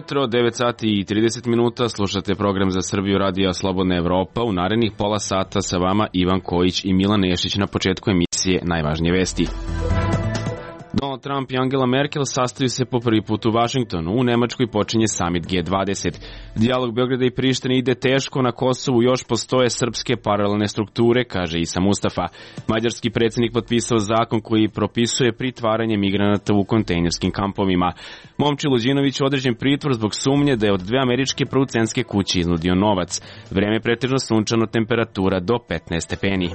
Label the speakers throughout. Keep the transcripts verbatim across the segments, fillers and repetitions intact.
Speaker 1: ujutro, devet sati i trideset minuta, slušate program za Srbiju radija Slobodna Evropa. U narednih pola sata sa vama Ivan Kojić i Milan Nešić. Na početku emisije najvažnije vesti. Donald Trump i Angela Merkel sastaju se po prvi put u Vašingtonu. U Nemačkoj počinje samit G dvadeset. Dijalog Beograda i Prištine ide teško, na Kosovu još postoje srpske paralelne strukture, kaže Isa Mustafa. Mađarski predsjednik potpisao zakon koji propisuje pritvaranje migranata u kontejnerskim kampovima. Momčilo Đinović određen pritvor zbog sumnje da je od dve američke producentske kuće iznudio novac. Vreme pretežno sunčano, temperatura do petnaest stepeni.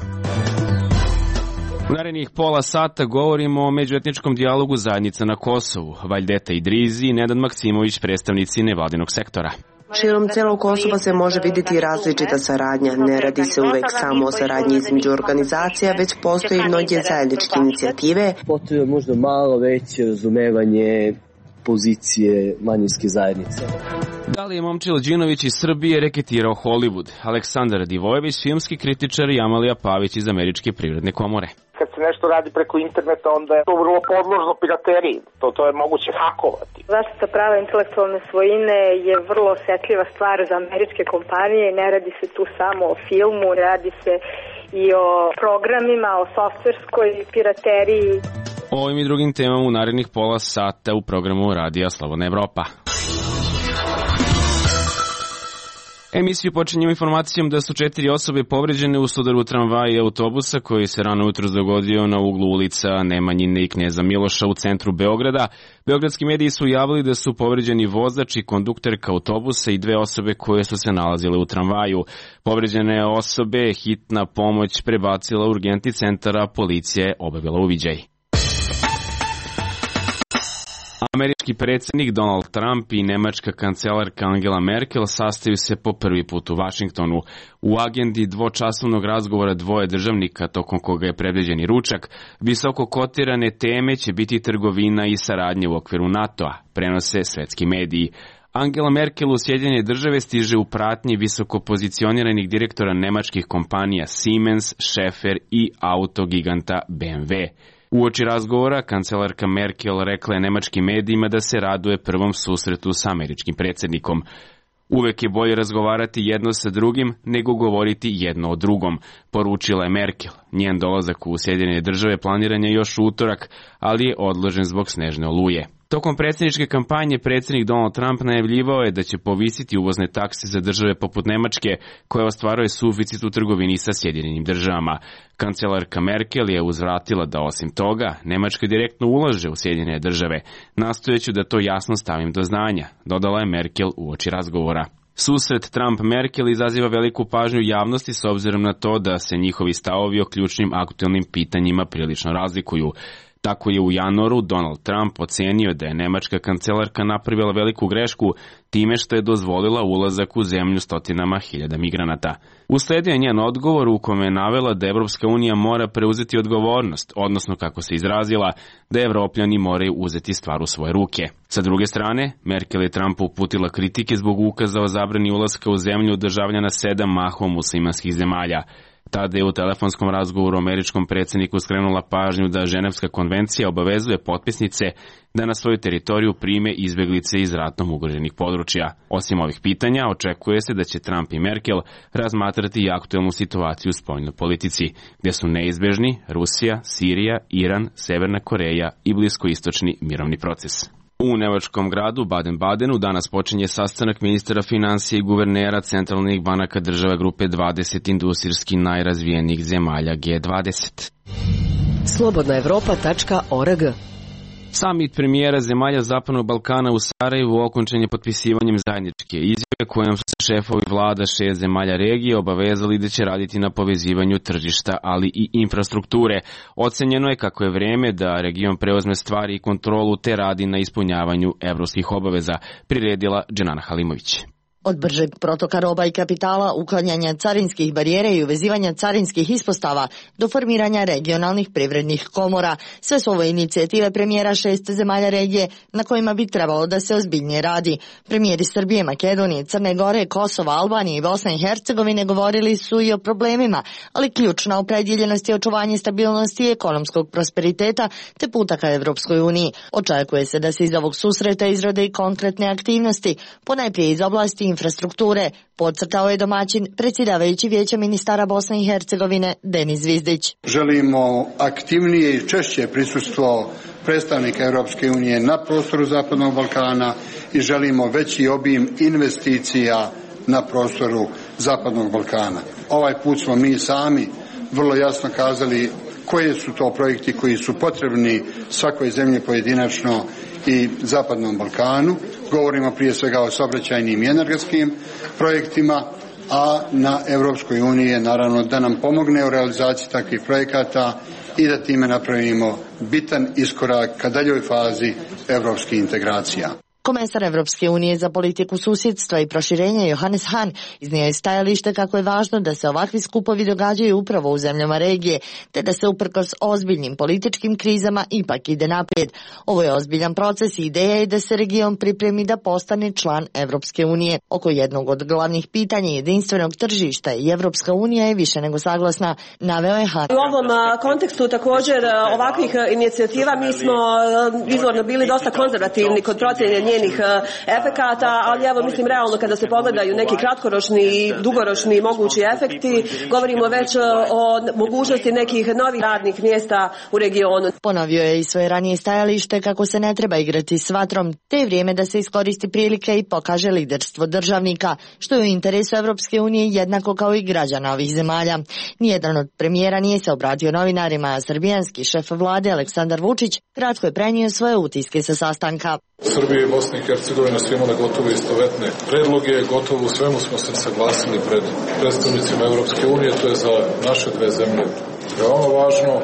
Speaker 1: U narednih pola sata govorimo o međuetničkom dijalogu zajednica na Kosovu. Vajdeta Idrizi i Nenad Maksimović, predstavnici nevladinog sektora.
Speaker 2: Širom celog Kosova se može vidjeti različita saradnja. Ne radi se uvek samo o saradnji između organizacija, već postoji mnoge zajedničke inicijative.
Speaker 3: Potrebno možda malo veće razumevanje pozicije manjinske zajednice.
Speaker 1: Da li je Momčilo Đinović iz Srbije reketirao Hollywood? Aleksandar Divojević, filmski kritičar, i Amalija Pavić iz Američke privredne komore.
Speaker 4: Kad se nešto radi preko interneta, onda je to vrlo podložno pirateriji. To, to je moguće hakovati.
Speaker 5: Zaštita prava intelektualne svojine je vrlo osjetljiva stvar za američke kompanije. Ne radi se tu samo o filmu, radi se i o programima, o softverskoj pirateriji.
Speaker 1: O ovim i drugim temama u narednih pola sata u programu Radija Slobodna Evropa. Emisiju počinjemo informacijom da su četiri osobe povređene u sudaru tramvaja i autobusa koji se rano jutros dogodio na uglu ulica Nemanjine i Kneza Miloša u centru Beograda. Beogradski mediji su javili da su povređeni vozač i kondukterka autobusa i dve osobe koje su se nalazile u tramvaju. Povređene osobe hitna pomoć prebacila u urgentni centar, a policija je obavila uviđaj. Američki predsjednik Donald Trump i nemačka kancelarka Angela Merkel sastaju se po prvi put u Vašingtonu. U agendi dvočasovnog razgovora dvoje državnika, tokom koga je predviđen i ručak, visoko kotirane teme će biti trgovina i saradnje u okviru NATO-a, prenose svetski mediji. Angela Merkel u Sjedinjene Države stiže u pratnji visoko pozicioniranih direktora nemačkih kompanija Siemens, Schaefer i autogiganta B M W. Uoči razgovora, kancelarka Merkel rekla je nemačkim medijima da se raduje prvom susretu sa američkim predsjednikom. Uvek je bolje razgovarati jedno sa drugim nego govoriti jedno o drugom, poručila je Merkel. Njen dolazak u Sjedinjene Države planiran je još u utorak, ali je odložen zbog snežne oluje. Tokom predsjedničke kampanje predsjednik Donald Trump najavljivao je da će povisiti uvozne takse za države poput Nemačke, koja ostvaruje suficit u trgovini sa Sjedinjenim Državama. Kancelarka Merkel je uzvratila da osim toga Nemačka direktno ulaže u Sjedinjene Države. Nastojeću da to jasno stavim do znanja, dodala je Merkel uoči razgovora. Susret Trump-Merkel izaziva veliku pažnju javnosti s obzirom na to da se njihovi stavovi o ključnim aktualnim pitanjima prilično razlikuju. Tako je u januaru Donald Trump ocenio da je nemačka kancelarka napravila veliku grešku time što je dozvolila ulazak u zemlju stotinama hiljada migranata. Usledio je njen odgovor u kome je navela da Evropska unija mora preuzeti odgovornost, odnosno, kako se izrazila, da Evropljani moraju uzeti stvar u svoje ruke. Sa druge strane, Merkel je Trumpu uputila kritike zbog ukaza o zabrani ulaska u zemlju državljana sedam mahom muslimanskih zemalja. Tada je u telefonskom razgovoru američkom predsjedniku skrenula pažnju da Ženevska konvencija obavezuje potpisnice da na svoju teritoriju prime izbjeglice iz ratom ugroženih područja. Osim ovih pitanja, očekuje se da će Trump i Merkel razmatrati i aktualnu situaciju u spoljnoj politici, gdje su neizbežni Rusija, Sirija, Iran, Severna Koreja i bliskoistočni mirovni proces. U nemačkom gradu Baden-Badenu danas počinje sastanak ministara financija i guvernera centralnih banaka država grupe dvadeset industrijski najrazvijenijih zemalja G dvadeset.
Speaker 6: slobodna evropa tačka org.
Speaker 1: Samit premijera zemalja Zapadnog Balkana u Sarajevu okončan je potpisivanjem zajedničke izjave kojom su se šefovi vlada šest zemalja regije obavezali da će raditi na povezivanju tržišta, ali i infrastrukture. Ocenjeno je kako je vreme da region preuzme stvari i kontrolu te radi na ispunjavanju evropskih obaveza, priredila Dženana Halimović.
Speaker 7: Od bržeg protoka roba i kapitala, uklanjanja carinskih barijera i uvezivanja carinskih ispostava do formiranja regionalnih privrednih komora. Sve su ovo inicijative premijera šest zemalja regije na kojima bi trebalo da se ozbiljnije radi. Premijeri Srbije, Makedonije, Crne Gore, Kosova, Albanije i Bosne i Hercegovine govorili su i o problemima, ali ključna opredjeljenost je očuvanje stabilnosti i ekonomskog prosperiteta te puta ka Evropskoj uniji. Očekuje se da se iz ovog susreta izrode i konkretne aktivnosti, ponajprije iz oblasti infrastrukture, podcrtao je domaćin predsjedavajući Vijeća ministara Bosne i Hercegovine Denis Zvizdić.
Speaker 8: Želimo aktivnije i češće prisustvo predstavnika Europske unije na prostoru Zapadnog Balkana i želimo veći obim investicija na prostoru Zapadnog Balkana. Ovaj put smo mi sami vrlo jasno kazali koje su to projekti koji su potrebni svakoj zemlji pojedinačno i Zapadnom Balkanu. Govorimo prije svega o saobraćajnim i energetskim projektima, a na Europskoj uniji je naravno da nam pomogne u realizaciji takvih projekata i da time napravimo bitan iskorak ka daljoj fazi evropskih integracija.
Speaker 7: Komesar Evropske unije za politiku susjedstva i proširenja Johannes Hahn iznio je stajalište kako je važno da se ovakvi skupovi događaju upravo u zemljama regije, te da se uprkos ozbiljnim političkim krizama ipak ide naprijed. Ovo je ozbiljan proces i ideja je da se region pripremi da postane član Evropske unije. Oko jednog od glavnih pitanja jedinstvenog tržišta i Evropska unija je više nego saglasna, naveo je Hahn.
Speaker 9: U ovom kontekstu također ovakvih inicijativa mi smo izvorno bili dosta konzervativni kod procjene njenih efekata, ali evo mislim realno kada se pogledaju neki kratkoročni i dugoročni mogući efekti, govorimo već o mogućnosti nekih novih radnih mjesta u regionu.
Speaker 7: Ponovio je i svoje ranije stajalište kako se ne treba igrati s vatrom, te je vrijeme da se iskoristi prilike i pokaže liderstvo državnika, što je u interesu Evropske unije jednako kao i građana ovih zemalja. Nijedan od premijera nije se obratio novinarima, a srbijanski šef vlade Aleksandar Vučić kratko je prenio svoje utiske sa sastanka.
Speaker 10: Srbija i Bosna i Hercegovina su imale gotovo istovetne predloge, gotovo u svemu smo se saglasili pred predstavnicima Evropske unije, to je za naše dve zemlje veoma važno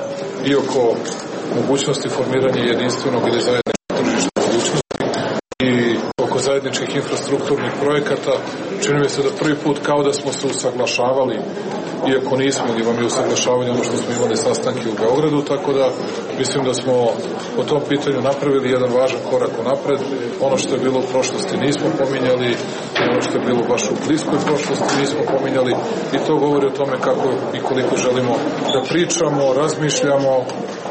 Speaker 10: i oko mogućnosti formiranja jedinstvenog ili zajedničkog tržišta budućnosti i oko zajedničkih infrastrukturnih projekata. Čini mi se da prvi put kao da smo se usaglašavali, iako nismo, ili vam je usaglašavanje ono što smo imali sastanke u Beogradu, tako da mislim da smo po tom pitanju napravili jedan važan korak unapred. Ono što je bilo u prošlosti nismo pominjali, ono što je bilo baš u bliskoj prošlosti nismo pominjali i to govori o tome kako i koliko želimo da pričamo, razmišljamo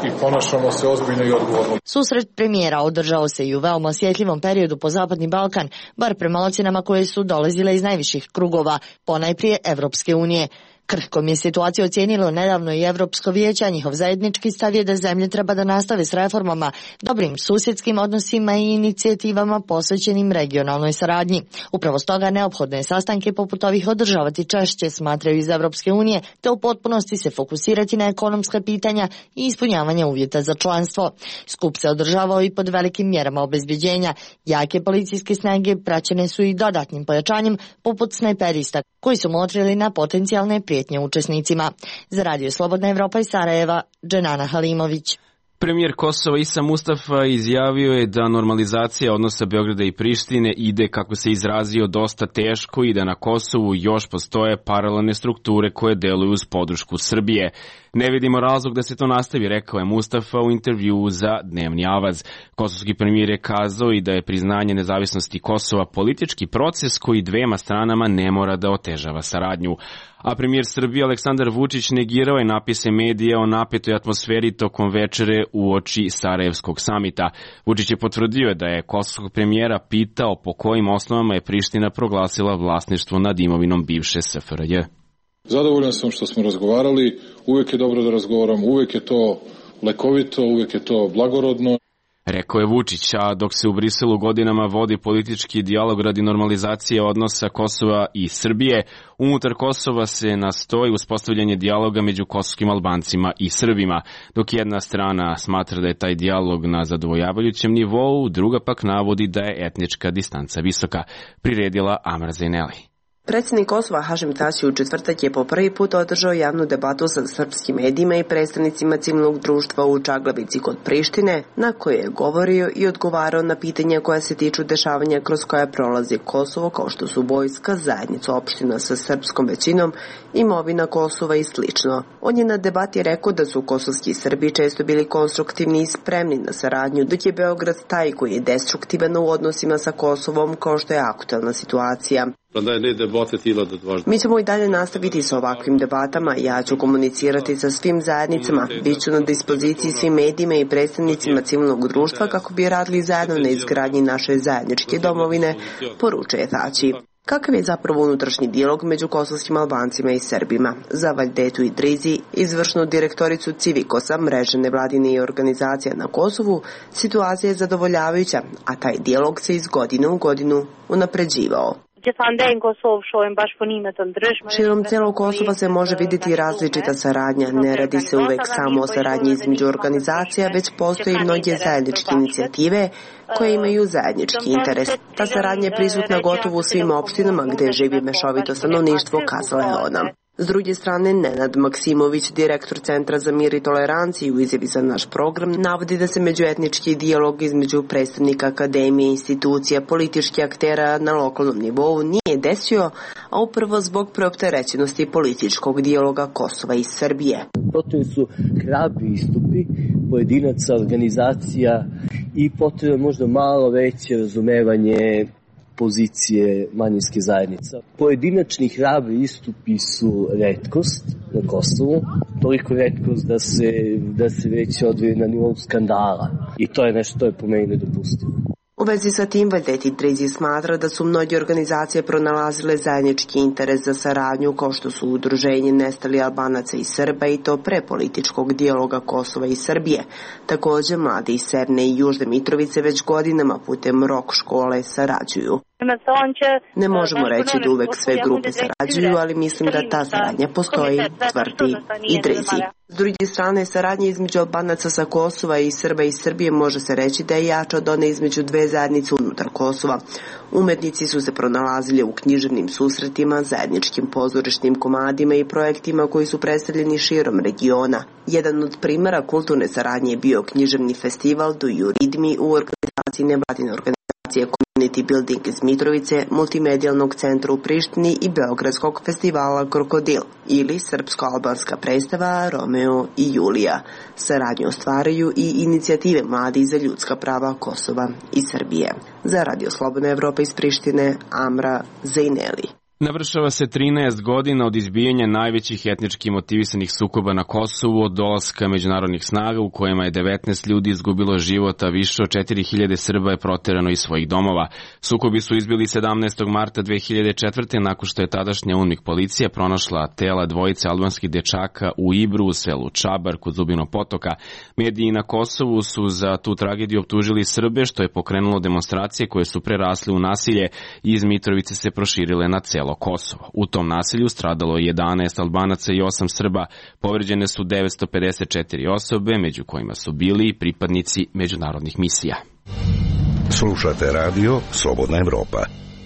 Speaker 10: i ponašamo se ozbiljno i odgovorno.
Speaker 7: Susret premijera održao se i u veoma osjetljivom periodu po Zapadni Balkan, bar prema ocjenama koje su dolazile iz najviših krugova, ponajprije Evropske unije. Krhkom je situaciju ocijenilo nedavno i Evropsko vijeće, a njihov zajednički stav je da zemlje treba da nastave s reformama, dobrim susjedskim odnosima i inicijativama posvećenim regionalnoj saradnji. Upravo stoga neophodno je sastanke poput ovih održavati češće, smatraju iz Evropske unije, te u potpunosti se fokusirati na ekonomska pitanja i ispunjavanje uvjeta za članstvo. Skup se održavao i pod velikim mjerama obezbeđenja. Jake policijske snage praćene su i dodatnim pojačanjem poput snajperista, koji su motrili na potencijalne prijetnje učesnicima. Za Radio Slobodna Evropa iz Sarajeva, Dženana Halimović.
Speaker 1: Premijer Kosova Isa Mustafa izjavio je da normalizacija odnosa Beograda i Prištine ide, kako se izrazio, dosta teško i da na Kosovu još postoje paralelne strukture koje deluju uz podršku Srbije. Ne vidimo razlog da se to nastavi, rekao je Mustafa u intervjuu za Dnevni Avaz. Kosovski premijer je kazao i da je priznanje nezavisnosti Kosova politički proces koji dvema stranama ne mora da otežava saradnju. A premijer Srbije Aleksandar Vučić negirao je napise medija o napetoj atmosferi tokom večere uoči Sarajevskog samita. Vučić je potvrdio da je kosovskog premijera pitao po kojim osnovama je Priština proglasila vlasništvo nad imovinom bivše S F R J.
Speaker 10: Zadovoljan sam što smo razgovarali, uvijek je dobro da razgovaramo, uvijek je to lekovito, uvijek je to blagorodno.
Speaker 1: Rekao je Vučić, a dok se u Briselu godinama vodi politički dijalog radi normalizacije odnosa Kosova i Srbije, unutar Kosova se nastoji uspostavljanje dijaloga među kosovskim Albancima i Srbima. Dok jedna strana smatra da je taj dijalog na zadovoljavajućem nivou, druga pak navodi da je etnička distanca visoka, priredila Amra Zaineli.
Speaker 2: Predsjednik Kosova Hašim Tači u četvrtak je po prvi put održao javnu debatu sa srpskim medijima i predstavnicima civilnog društva u Čaglavici kod Prištine, na kojoj je govorio i odgovarao na pitanja koja se tiču dešavanja kroz koja prolazi Kosovo, kao što su vojska, zajednica opština sa srpskom većinom, imovina Kosova i slično. On je na debati rekao da su kosovski Srbi često bili konstruktivni i spremni na saradnju, dok je Beograd taj koji je destruktivan u odnosima sa Kosovom, kao što je aktuelna situacija. Mi ćemo i dalje nastaviti sa ovakvim debatama. Ja ću komunicirati sa svim zajednicama. Biću na dispoziciji svim medijima i predstavnicima civilnog društva kako bi radili zajedno na izgradnji naše zajedničke domovine, poručuje Tači. Kakav je zapravo unutrašnji dijalog među kosovskim Albancima i Srbima? Za Valdetu Idrizi, izvršnu direktoricu Civikosa, mreže nevladine organizacija na Kosovu, situacija je zadovoljavajuća, a taj dijalog se iz godine u godinu unapređivao. Širom celog Kosova se može vidjeti različita saradnja. Ne radi se uvek samo o saradnji između organizacija, već postoji mnoge zajedničke inicijative koje imaju zajednički interes. Ta saradnja je prisutna gotovo u svim opštinama gde živi mešovito stanovništvo, kazala je ona. S druge strane, Nenad Maksimović, direktor Centra za mir i toleranciju u izjavi za naš program, navodi da se međuetnički dijalog između predstavnika akademije, institucija, političkih aktera na lokalnom nivou nije desio, a upravo zbog preopterećenosti političkog dijaloga Kosova i Srbije.
Speaker 3: Potrebni su hrabri istupi pojedinaca, organizacija i potrebno možda malo veće razumevanje pozicije manjinske zajednice. Pojedinačni hrabri istupi su retkost na Kosovu, toliko retkost da se, da se već odvije na nivou skandala. I to je nešto, to je po meni nedopustivo.
Speaker 2: U vezi sa tim, Valdet Idrizi smatra da su mnoge organizacije pronalazile zajednički interes za saradnju, kao što su udruženje Nestali Albanaca i Srba, i to pre političkog dijaloga Kosova i Srbije. Također, mladi iz Severne i Južne Mitrovice već godinama putem rok škole sarađuju. Ne možemo reći da uvek sve grupe sarađuju, ali mislim da ta saradnja postoji, tvrdi Idrizi. S druge strane, saradnja između Albanaca sa Kosova i Srba iz Srbije može se reći da je jača od one između dve zajednice unutar Kosova. Umetnici su se pronalazili u književnim susretima, zajedničkim pozorišnim komadima i projektima koji su predstavljeni širom regiona. Jedan od primjera kulturne saradnje je bio književni festival Do You Read Me u organizaciji nevladine organizacije Community Building iz Mitrovice, multimedijalnog centra u Prištini i Beogradskog festivala Krokodil ili srpsko-albanska predstava Romeo i Julija. Saradnju ostvaraju i inicijative Mladi za ljudska prava Kosova i Srbije. Za Radio Slobodna Evropa iz Prištine, Amra Zejneli.
Speaker 1: Navršava se trinaest godina od izbijanja najvećih etnički motivisanih sukoba na Kosovu od dolaska međunarodnih snaga u kojima je devetnaest ljudi izgubilo život, a više od četiri hiljade Srba je proterano iz svojih domova. Sukobi su izbili sedamnaestog marta dve hiljade četvrte. nakon što je tadašnja UNMIK policija pronašla tela dvojice albanskih dečaka u Ibru, u selu Čabar kod Zubinog potoka. Mediji na Kosovu su za tu tragediju optužili Srbe, što je pokrenulo demonstracije koje su prerasle u nasilje i iz Mitrovice se proširile na celo Kosovo. U tom nasilju stradalo je jedanaest Albanaca i osam Srba, povređene su devetsto pedeset četiri osobe, među kojima su bili i pripadnici međunarodnih misija.
Speaker 11: Slušate radio Slobodna Evropa.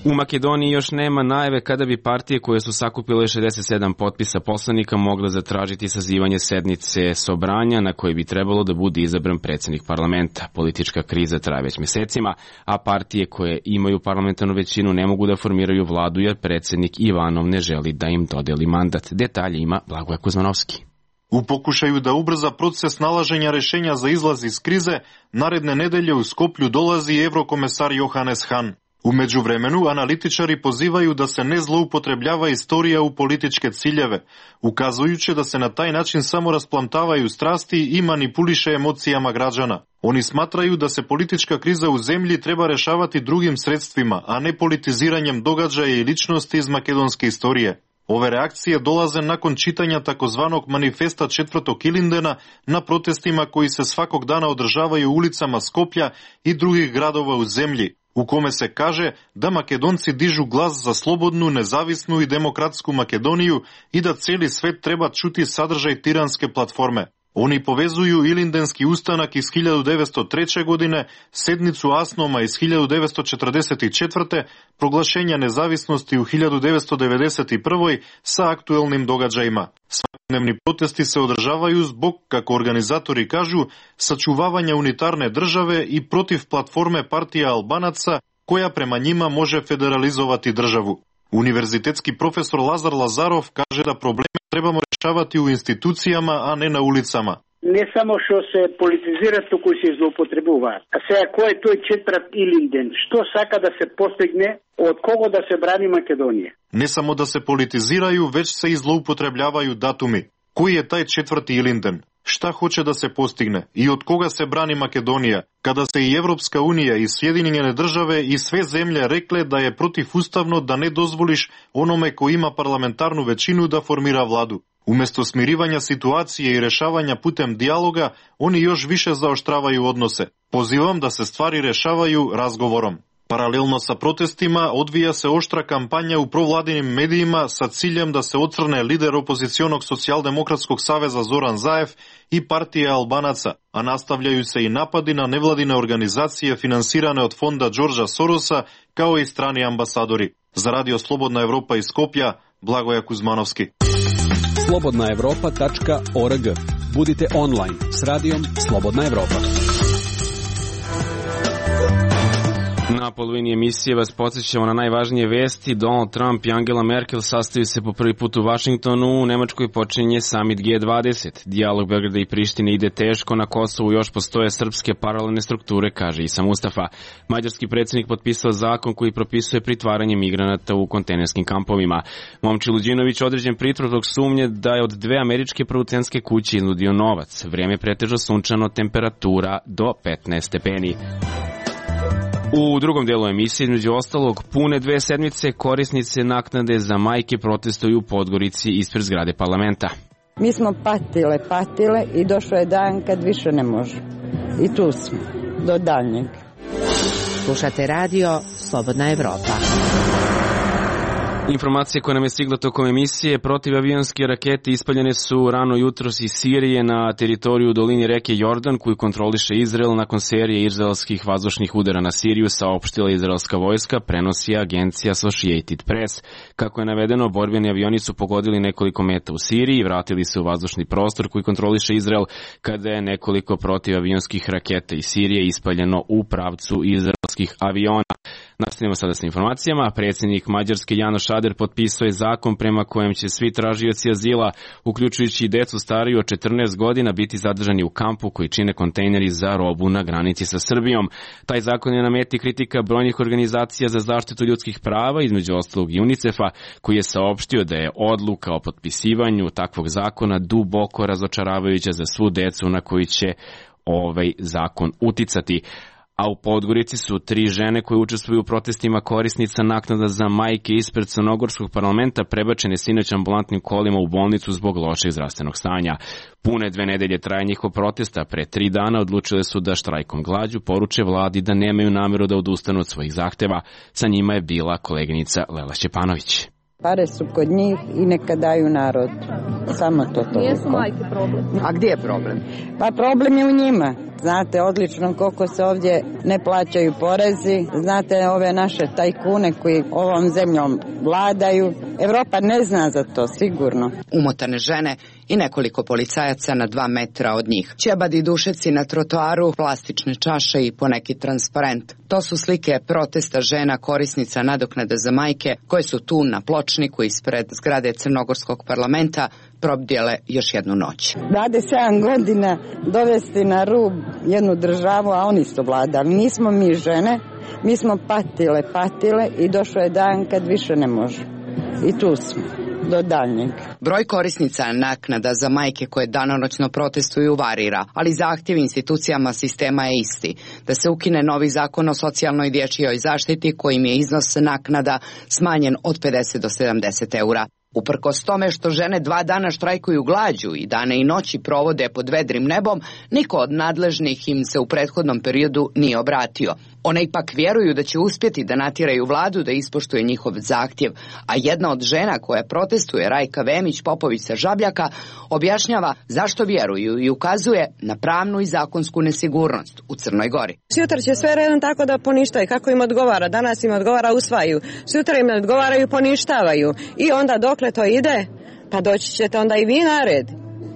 Speaker 1: U Makedoniji još nema najave kada bi partije koje su sakupile šezdeset sedam potpisa poslanika mogle zatražiti sazivanje sednice Sobranja na koje bi trebalo da bude izabran predsjednik parlamenta. Politička kriza traje već mjesecima, a partije koje imaju parlamentarnu većinu ne mogu da formiraju vladu jer predsjednik Ivanov ne želi da im dodeli mandat. Detalje ima Blagoje Kuzmanovski.
Speaker 12: U pokušaju da ubrza proces nalaženja rešenja za izlaz iz krize, naredne nedelje u Skoplju dolazi evrokomesar Johannes Hahn. U međuvremenu, analitičari pozivaju da se ne zloupotrebljava istorija u političke ciljeve, ukazujući da se na taj način samo rasplantavaju strasti i manipuliše emocijama građana. Oni smatraju da se politička kriza u zemlji treba rešavati drugim sredstvima, a ne politiziranjem događaja i ličnosti iz makedonske istorije. Ove reakcije dolaze nakon čitanja takozvanog manifesta četvrtog Ilindena na protestima koji se svakog dana održavaju u ulicama Skoplja i drugih gradova u zemlji, u kome se kaže da Makedonci dižu glas za slobodnu, nezavisnu i demokratsku Makedoniju i da cijeli svet treba čuti sadržaj tiranske platforme. Oni povezuju Ilindenski ustanak iz hiljadu devetsto treće. godine, sednicu Asnoma iz hiljadu devetsto četrdeset četvrte. proglašenja nezavisnosti u hiljadu devetsto devedeset prvoj. sa aktuelnim događajima. Svakodnevni protesti se održavaju zbog, kako organizatori kažu, sačuvavanja unitarne države i protiv platforme partija Albanaca, koja prema njima može federalizovati državu. Univerzitetski profesor Lazar Lazarov kaže da probleme trebamo rešavati u institucijama, a ne na ulicama.
Speaker 13: Не само што се политизира, туку се злоупотребува. А сега кој е тој четврт Илинден? Што сака да се постигне, од кого да се брани Македонија?
Speaker 12: Не само да се политизирају, веќе се и злоупотребљавају датуми. Кој е тај четврти Илинден? Шта хоче да се постигне и од кога се брани Македонија, када се и Европска Унија и Сјединене државе и све земје рекле да е противуставно да не дозволиш ономе кој има парламентарну веćину да формира владу. Уместо смиривања ситуација и решавања путем диалога, они још више заоштравају односе. Позивам да се ствари решавају разговором. Паралелно са протестима, одвија се оштра кампања у провладиним медиима са циљем да се оцрне лидер опозиционог Социјалдемократског савеза Зоран Заев и партија Албанаца, а настављају се и напади на невладине организации финансиране од фонда Џорџа Сороса, као и страни амбасадори. За Радио Слободна Европа из Скопје, Благоја Кузмановски.
Speaker 14: slobodna evropa tačka org. Budite online s radijom Slobodna Evropa.
Speaker 1: Na polovini emisije vas podsjećamo na najvažnije vesti. Donald Trump i Angela Merkel sastaju se po prvi put u Vašingtonu. U Nemačkoj počinje summit G dvadeset. Dijalog Beograda i Prištine ide teško. Na Kosovu još postoje srpske paralelne strukture, kaže Isa Mustafa. Mađarski predsjednik potpisao zakon koji propisuje pritvaranje migranata u kontejnerskim kampovima. Momčilo Đinović određen pritvor zbog sumnje da je od dve američke producenske kuće iznudio novac. Vrijeme pretežno sunčano, temperatura do petnaest stepeni. U drugom delu emisije, između ostalog, pune dve sedmice korisnice naknade za majke protestuju u Podgorici ispred zgrade parlamenta.
Speaker 15: Mi smo patile, patile i došao je dan kad više ne može. I tu smo, do daljnjeg.
Speaker 6: Slušate radio Slobodna Evropa.
Speaker 1: Informacije koje nam je stigla tokom emisije, protivavionske rakete ispaljene su rano jutros iz Sirije na teritoriju dolini reke Jordan, koju kontroliše Izrael nakon serije izraelskih vazdušnih udara na Siriju, saopštila izraelska vojska, prenosi agencija Associated Press. Kako je navedeno, borbeni avioni su pogodili nekoliko meta u Siriji i vratili se u vazdušni prostor koji kontroliše Izrael, kada je nekoliko protivavionskih raketa iz Sirije ispaljeno u pravcu izraelskih aviona. Nastavljamo sada sa informacijama. Predsjednik Mađarske Janoš Ader potpisao je zakon prema kojem će svi tražioci azila, uključujući i decu stariju od četrnaest godina, biti zadržani u kampu koji čine kontejneri za robu na granici sa Srbijom. Taj zakon je na meti kritika brojnih organizacija za zaštitu ljudskih prava, između ostalog i UNICEF-a, koji je saopštio da je odluka o potpisivanju takvog zakona duboko razočaravajuća za svu decu na koji će ovaj zakon uticati. A u Podgorici su tri žene koje učestvuju u protestima korisnica naknada za majke ispred Crnogorskog parlamenta prebačene sinoć ambulantnim kolima u bolnicu zbog lošeg zdravstvenog stanja. Pune dve nedelje traje njihov protesta, pre tri dana odlučile su da štrajkom glađu poruče vladi da nemaju nameru da odustanu od svojih zahteva. Sa njima je bila koleginica Lela Šćepanović.
Speaker 15: Pare su kod njih i neka daju narod. Samo to toliko.
Speaker 16: Nije su majke problem.
Speaker 15: A gdje je problem? Pa problem je u njima. Znate odlično koliko se ovdje ne plaćaju porezi. Znate ove naše tajkune koji ovom zemljom vladaju. Evropa ne zna za to, sigurno.
Speaker 17: Umotane žene i nekoliko policajaca na dva metra od njih. Ćebadi i dušeci na trotoaru, plastične čaše i poneki transparent. To su slike protesta žena korisnica nadoknade za majke koje su tu na pločniku ispred zgrade Crnogorskog parlamenta probdjele još jednu noć.
Speaker 15: dvadeset sedam godina dovesti na rub jednu državu, a oni su vladali. Nismo mi žene, mi smo patile, patile i došao je dan kad više ne može. I tu smo. Do daljnjeg.
Speaker 17: Broj korisnica naknada za majke koje danonoćno protestuju varira, ali zahtjev institucijama sistema je isti. Da se ukine novi zakon o socijalnoj dječjoj zaštiti kojim je iznos naknada smanjen od pedeset do sedamdeset eura. Uprkos tome što žene dva dana štrajkuju glađu i dane i noći provode pod vedrim nebom, niko od nadležnih im se u prethodnom periodu nije obratio. One ipak vjeruju da će uspjeti da natjeraju vladu da ispoštuje njihov zahtjev, a jedna od žena koja protestuje, Rajka Vemić Popović sa Žabljaka, objašnjava zašto vjeruju i ukazuje na pravnu i zakonsku nesigurnost u Crnoj Gori.
Speaker 9: Sutra će sve redom tako da poništaju kako im odgovara, danas im odgovara usvaju, sutra im odgovaraju poništavaju i onda dokle to ide, pa doći ćete onda i vi na red.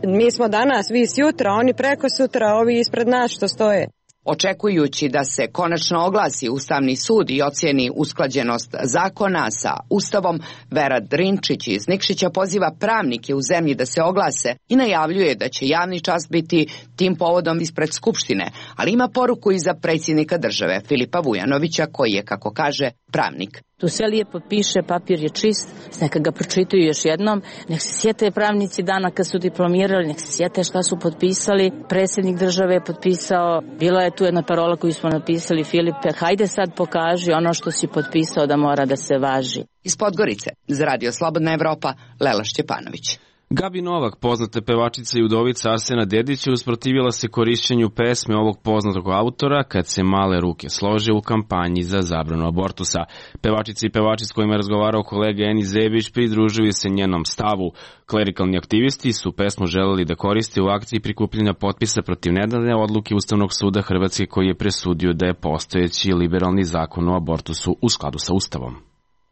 Speaker 9: Mi smo danas, vi sutra, oni preko sutra, ovi ispred nas što stoje.
Speaker 17: Očekujući da se konačno oglasi Ustavni sud i ocijeni usklađenost zakona sa Ustavom, Vera Drinčić iz Nikšića poziva pravnike u zemlji da se oglase i najavljuje da će javni čas biti tim povodom ispred Skupštine, ali ima poruku i za predsjednika države Filipa Vujanovića koji je, kako kaže, pravnik.
Speaker 16: Tu sve lijepo piše, papir je čist, neka ga pročitaju još jednom, nek se sjete pravnici dana kad su diplomirali, nek se sjete šta su potpisali, predsjednik države je potpisao, bila je tu jedna parola koju smo napisali, Filipe, hajde sad pokaži ono što si potpisao da mora da se važi.
Speaker 17: Iz Podgorice, za Radio Slobodna Evropa, Lela Šćepanović.
Speaker 1: Gabi Novak, poznata pevačica i udovica Arsena Dedića, usprotivila se korišćenju pesme ovog poznatog autora Kad se male ruke slože u kampanji za zabranu abortusa. Pevačica i pevači s kojima je razgovarao kolega Eni Zebić pridružuju se njenom stavu. Klerikalni aktivisti su pesmu želeli da koriste u akciji prikupljanja potpisa protiv nedavne odluke Ustavnog suda Hrvatske koji je presudio da je postojeći liberalni zakon o abortusu u skladu sa Ustavom.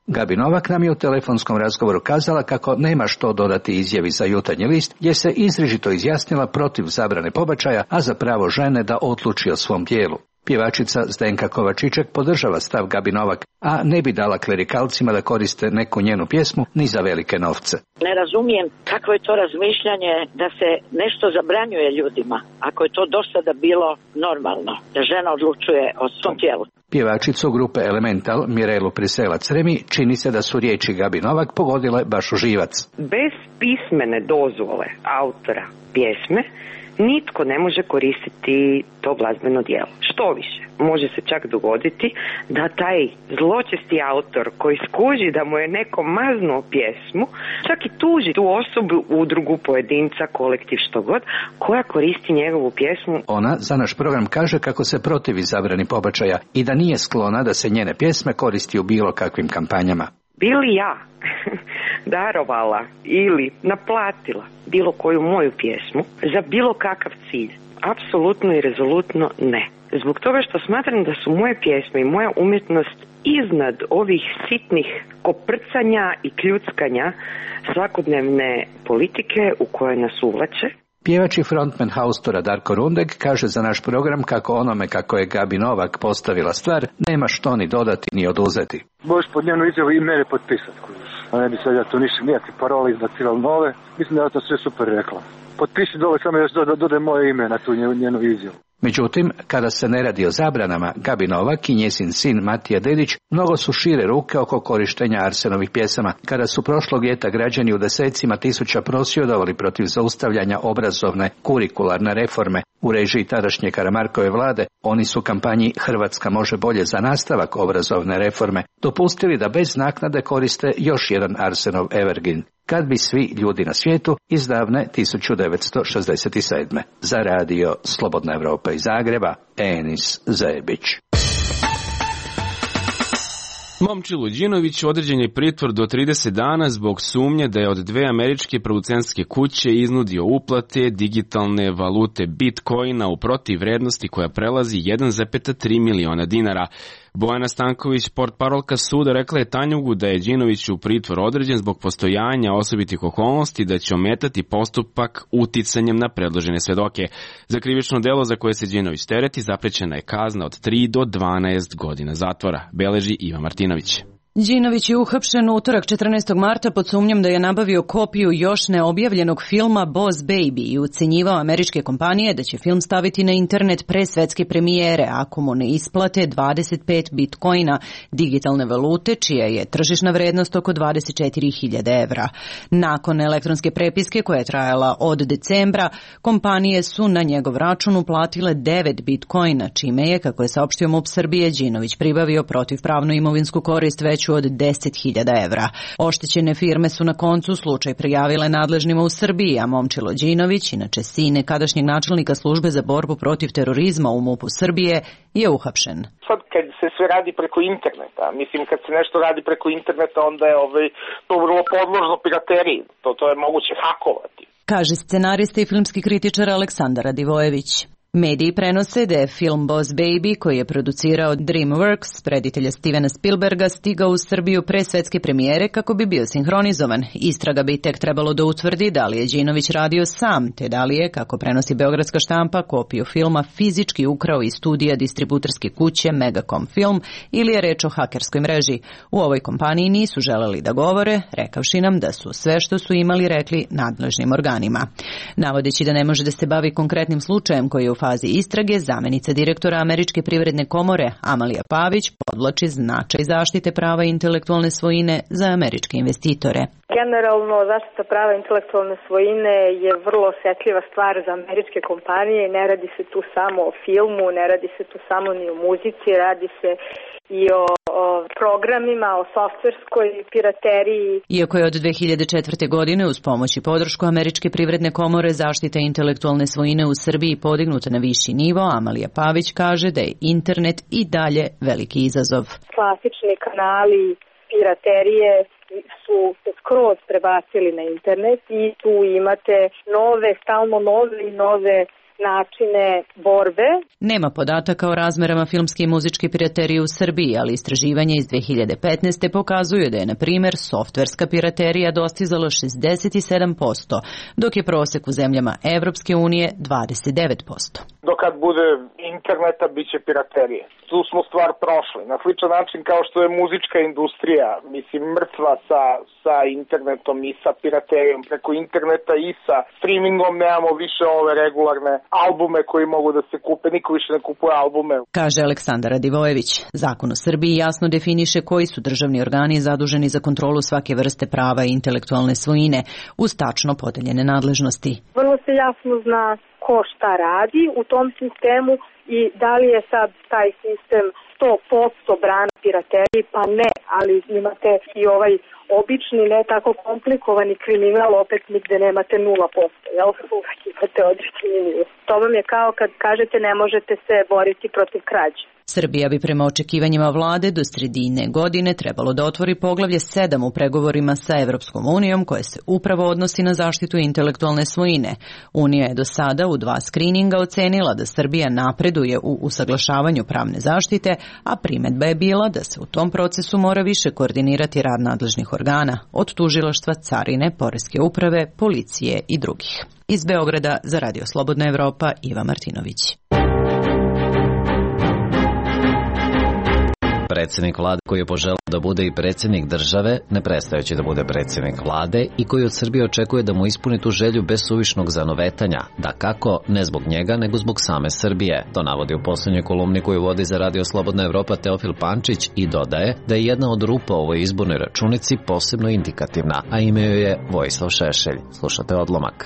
Speaker 18: Gabi Novak nam je u telefonskom razgovoru kazala kako nema što dodati izjavi za Jutarnji list, jer se izričito izjasnila protiv zabrane pobačaja, a za pravo žene da odluči o svom tijelu. Pjevačica Zdenka Kovačiček podržava stav Gabi Novak, a ne bi dala klerikalcima da koriste neku njenu pjesmu ni za velike novce.
Speaker 19: Ne razumijem kakvo je to razmišljanje da se nešto zabranjuje ljudima, ako je to do sada bilo normalno, da žena odlučuje o svom tijelu.
Speaker 18: Pjevačicu grupe Elemental, Mirelu Priselac-Remi, čini se da su riječi Gabi Novak pogodile baš u živac.
Speaker 20: Bez pismene dozvole autora pjesme nitko ne može koristiti to glazbeno djelo. Što više, može se čak dogoditi da taj zločesti autor koji skuži da mu je neko maznuo pjesmu, čak i tuži tu osobu, udrugu, pojedinca, kolektiv, što god, koja koristi njegovu pjesmu.
Speaker 18: Ona za naš program kaže kako se protivi zabrani pobačaja i da nije sklona da se njene pjesme koristi u bilo kakvim kampanjama.
Speaker 20: Bili ja darovala ili naplatila bilo koju moju pjesmu za bilo kakav cilj? Apsolutno i rezolutno ne. Zbog toga što smatram da su moje pjesme i moja umjetnost iznad ovih sitnih koprcanja i kljuckanja svakodnevne politike u koje nas uvlače.
Speaker 18: Pjevač i frontman Haustora Darko Rundek kaže za naš program kako onome kako je Gabi Novak postavila stvar, nema što ni dodati ni oduzeti.
Speaker 21: Možeš pod njenu izjavu i mene potpisati, kužiš. A ne bi sad ja tu ništa nijaki parole izbacivali nove. Mislim da je to sve super rekla. Potpiši dole, samo još dodaj moje ime na tu njenu izjavu.
Speaker 18: Međutim, kada se ne radi o zabranama, Gabi Novak i njezin sin Matija Dedić mnogo su šire ruke oko korištenja Arsenovih pjesama. Kada su prošlog ljeta građani u desecima tisuća prosvjedovali protiv zaustavljanja obrazovne kurikularne reforme u režiji tadašnje Karamarkove vlade, oni su kampanji Hrvatska može bolje za nastavak obrazovne reforme dopustili da bez naknade koriste još jedan Arsenov evergreen. Kad bi svi ljudi na svijetu iz davne tisuću devetsto šezdeset sedme. Za radio Slobodna Evropa iz Zagreba, Enis Zebić.
Speaker 1: Momčilu Đinović određen je pritvor do trideset dana zbog sumnje da je od dve američke producentske kuće iznudio uplate digitalne valute Bitcoina u protivvrednosti koja prelazi jedan zarez tri miliona dinara. Bojana Stanković, portparolka suda, rekla je Tanjugu da je Đinović u pritvor određen zbog postojanja osobitih okolnosti da će ometati postupak uticanjem na predložene svedoke. Za krivično delo za koje se Đinović tereti zaprećena je kazna od tri do dvanaest godina zatvora, beleži Iva Martinović.
Speaker 22: Đinović je uhapšen u utorak četrnaestog marta pod sumnjom da je nabavio kopiju još neobjavljenog filma Boss Baby i ucenjivao američke kompanije da će film staviti na internet pre svetske premijere ako mu ne isplate dvadeset pet bitcoina, digitalne valute čija je tržišna vrednost oko dvadeset četiri hiljade evra. Nakon elektronske prepiske koja je trajala od decembra, kompanije su na njegov račun uplatile devet bitcoina, čime je, kako je saopštio MUP Srbije, Đinović pribavio protivpravnu imovinsku korist već pomoću od deset hiljada evra. Oštećene firme su na koncu slučaj prijavile nadležnima u Srbiji, a Momčilo Đinović, inače sin nekadašnjeg načelnika službe za borbu protiv terorizma u MUP-u Srbije, je uhapšen.
Speaker 4: Sad kad se sve radi preko interneta, mislim kad se nešto radi preko interneta, onda je ovaj, to vrlo podložno pirateriji, to, to je moguće hakovati.
Speaker 22: Kaže scenarista i filmski kritičar Aleksandar Radivojević. Mediji prenose da je film Boss Baby, koji je producirao DreamWorks, reditelja Stevena Spielberga, stigao u Srbiju pre svetske premijere kako bi bio sinhronizovan. Istraga bi tek trebalo da utvrdi da li je Đinović radio sam, te da li je, kako prenosi beogradska štampa, kopiju filma fizički ukrao iz studija distributerske kuće Megacom Film ili je reč o hakerskoj mreži. U ovoj kompaniji nisu želeli da govore, rekavši nam da su sve što su imali rekli nadležnim organima. Navodeći da ne može da se bavi konkretnim slučajem koji je u fazi istrage, zamenica direktora Američke privredne komore Amalija Pavić podvlači značaj zaštite prava intelektualne svojine za američke investitore.
Speaker 5: Generalno, zaštita prava intelektualne svojine je vrlo osjetljiva stvar za američke kompanije. Ne radi se tu samo o filmu, ne radi se tu samo ni o muzici, radi se i o, o programima, o softverskoj pirateriji.
Speaker 22: Iako je od dve hiljade četvrte. godine uz pomoć i podršku Američke privredne komore zaštita intelektualne svojine u Srbiji podignuta na viši nivo, Amalija Pavić kaže da je internet i dalje veliki izazov.
Speaker 5: Klasični kanali piraterije su se skroz prebacili na internet i tu imate nove, stalno nove i nove načine borbe.
Speaker 22: Nema podataka o razmerama filmske i muzičke piraterije u Srbiji, ali istraživanje iz dve hiljade petnaeste. pokazuju da je, na primjer, softverska piraterija dostizala šezdeset sedam posto, dok je prosek u zemljama Evropske unije dvadeset devet posto.
Speaker 4: Do kad bude interneta, bit će piraterije. Tu smo stvar prošli. Na sličan način kao što je muzička industrija, mislim, mrtva sa, sa internetom i sa piraterijom preko interneta i sa streamingom, nemamo više ove regularne albume koji mogu da se kupe, niko više ne kupuje albume.
Speaker 22: Kaže Aleksandar Radivojević. Zakon u Srbiji jasno definiše koji su državni organi zaduženi za kontrolu svake vrste prava i intelektualne svojine uz tačno podeljene nadležnosti.
Speaker 5: Vrlo se jasno zna ko šta radi u tom sistemu i da li je sad taj sistem sto posto brana pirateriji, pa ne, ali imate i ovaj obični, ne tako komplikovani kriminal, opet nigde nemate nula posto, jel? Uvijek imate određeni nivo. To vam je kao kad kažete ne možete se boriti protiv krađe.
Speaker 22: Srbija bi prema očekivanjima vlade do sredine godine trebalo da otvori poglavlje sedam u pregovorima sa Evropskom unijom koje se upravo odnosi na zaštitu intelektualne svojine. Unija je do sada u dva skrininga ocenila da Srbija napreduje u usaglašavanju pravne zaštite, a primedba je bila da se u tom procesu mora više koordinirati rad nadležnih organa, od tužilaštva, carine, poreske uprave, policije i drugih. Iz Beograda za Radio Slobodna Evropa, Iva Martinović.
Speaker 23: Predsjednik vlade koji je poželeo da bude i predsjednik države, ne prestajući da bude predsjednik vlade i koji od Srbije očekuje da mu ispuni tu želju bez suvišnog zanovetanja, da kako, ne zbog njega, nego zbog same Srbije. To navodi u posljednjoj kolumni koju vodi za Radio Slobodna Evropa Teofil Pančić i dodaje da je jedna od rupa u ovoj izbornoj računici posebno indikativna, a ime joj je Vojislav Šešelj. Slušate odlomak.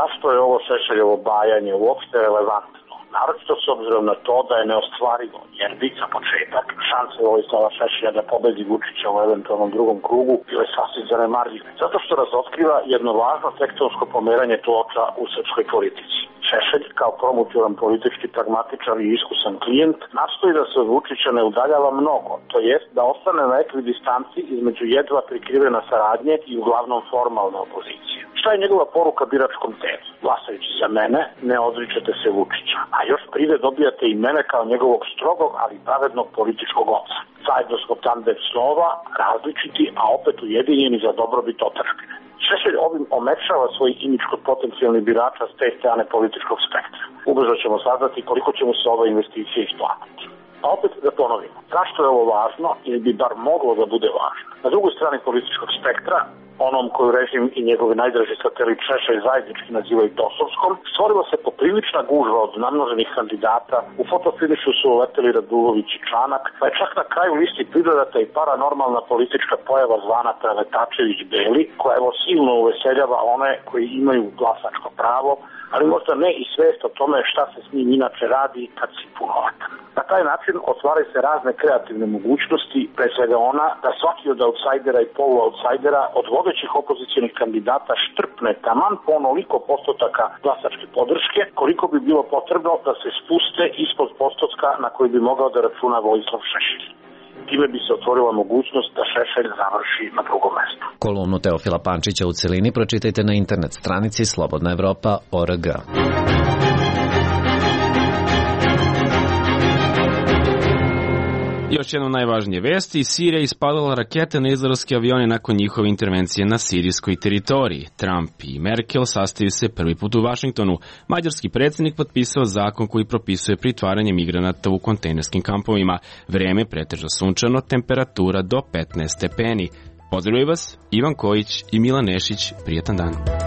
Speaker 24: Zašto je ovo Šešeljovo bajanje uopšte relevantno? Naročito s obzirom na to da je neostvarivo, jer bi za početak šanse Vojislava Šešelja da pobedi Vučića u eventualnom drugom krugu bile sasvim zanemarljive. Zato što razotkriva jedno važno tektonsko pomeranje ploča u srpskoj politici. Šešelj, kao promutiran politički pragmatičar i iskusan klijent, nastoji da se od Vučića ne udaljava mnogo, to jest da ostane na ekvidistanci između jedva prikrivena saradnje i uglavnom formalne opozicije. Šta je njegova poruka biračkom telu? Glasajući za mene, ne odričete se Vučića, a još pride dobijate i mene kao njegovog strogog, ali pravednog političkog oca. Zajedno smo tandem snova, različiti, a opet ujedinjeni za dobrobit otadžbine. Šešelj ovim omekšava svoj imidž kod potencijalnih birača s te strane političkog spektra. Ubrzo ćemo saznati koliko će mu se ova investicija isplatiti. A opet da ponovimo, zašto je ovo važno ili bi bar moglo da bude važno? Na drugoj strani političkog spektra, onom koju režim i njegovi najdraži satelit Šešelj zajednički nazivaju dosovskom, stvorila se poprilična gužva od namnoženih kandidata, u fotofinišu su uleteli Radulović i Čanak, pa je čak na kraju listi pridodata i paranormalna politička pojava zvana Preletačević Beli, koja evo silno uveseljava one koji imaju glasačko pravo, ali možda ne i svest o tome šta se s njim inače radi kad si punovatan. Na taj način otvaraju se razne kreativne mogućnosti, pre svega ona da svaki od outsidera i polu-outsidera od vodećih opozicionih kandidata štrpne taman po onoliko postotaka glasačke podrške, koliko bi bilo potrebno da se spuste ispod postotka na koji bi mogao da računa Vojislav Šešelj. Time bi se otvorila mogućnost da Šešelj završi na drugom mestu.
Speaker 23: Kolumnu Teofila Pančića u celini pročitajte na internet stranici slobodna evropa tačka org.
Speaker 1: Još jedna najvažnije vesti, Sirija ispalila rakete na izraelske avione nakon njihove intervencije na sirijskoj teritoriji. Trump i Merkel sastaju se prvi put u Vašingtonu. Mađarski predsjednik potpisao zakon koji propisuje pritvaranje migranata u kontejnerskim kampovima. Vreme pretežno sunčano, temperatura do petnaest stepeni. Pozdravljaju vas Ivan Kojić i Milan Nešić. Prijetan dan.